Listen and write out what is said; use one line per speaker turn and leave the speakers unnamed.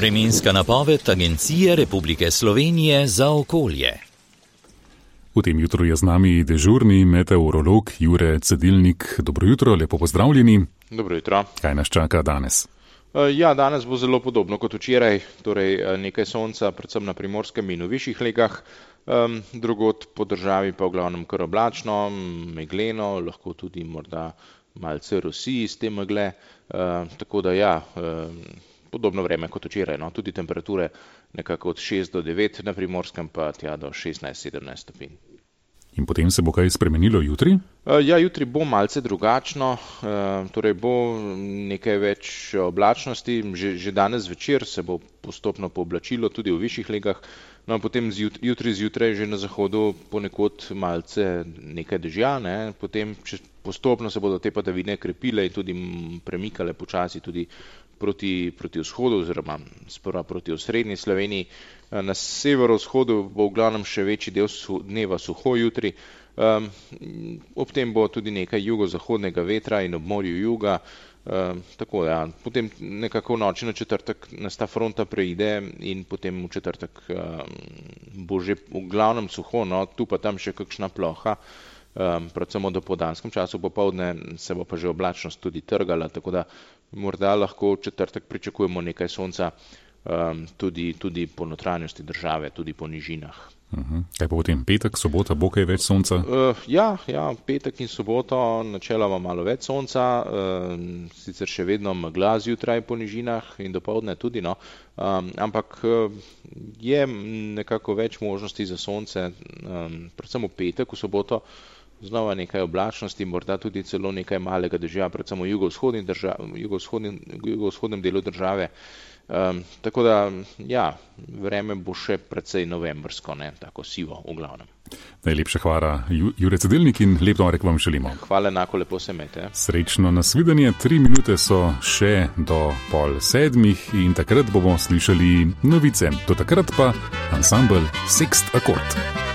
Vremenska napoved Agencije Republike Slovenije za okolje.
V tem jutru je z nami dežurni meteorolog Jure Cedilnik. Dobro jutro, lepo pozdravljeni.
Dobro jutro.
Kaj nas čaka danes?
Danes bo zelo podobno kot včeraj, torej nekaj sonca, predvsem na Primorskem in v višjih legah, drugod po državi pa v glavnem kar oblačno, megleno, lahko tudi morda malce rosi iz te megle, tako da podobno vreme kot včeraj, tudi temperature nekako od 6 do 9 na Primorskem pa tja do 16-17 stopinj.
In potem se bo kaj spremenilo jutri?
Jutri bo malce drugačno, torej bo nekaj več oblačnosti, že danes zvečer se bo postopno pooblačilo tudi v višjih legah, potem jutri zjutraj že na zahodu ponekod malce nekaj dežja, potem postopno se bodo te padavine krepile in tudi premikale počasi tudi proti vzhodu oziroma sprva proti osrednji Sloveniji. Na severovzhodu bo v glavnem še večji del dneva suho jutri, ob tem bo tudi nekaj jugozahodnega vetra in ob morju juga, potem nekako v noči na četrtek nas ta fronta preide in potem v četrtek bo že v glavnem suho, tu pa tam še kakšna ploha, predvsem v dopoldanskem času, popoldne se bo pa že oblačnost tudi trgala, tako da morda lahko v četrtek pričakujemo nekaj sonca tudi po notranjosti države, tudi po nižinah.
Kaj pa potem petek, sobota, bo kaj več sonca?
Petek in soboto načeloma malo več sonca, sicer še vedno megla zjutraj po nižinah in dopoldne tudi, ampak je nekako več možnosti za sonce, predvsem v petek, v soboto znova nekaj oblačnosti, morda tudi celo nekaj malega dežja, predvsem v jugovzhodnem delu države. Tako da, vreme bo še precej novembrsko, tako sivo v glavnem.
Najlepša hvala, Jure Cedilnik, in lep torek vam želimo.
Hvala, enako, lepo se imejte.
Srečno nasvidenje, 3 minute so še do 6:30 in takrat bomo slišali novice. Do takrat pa ansambel Sext Akord.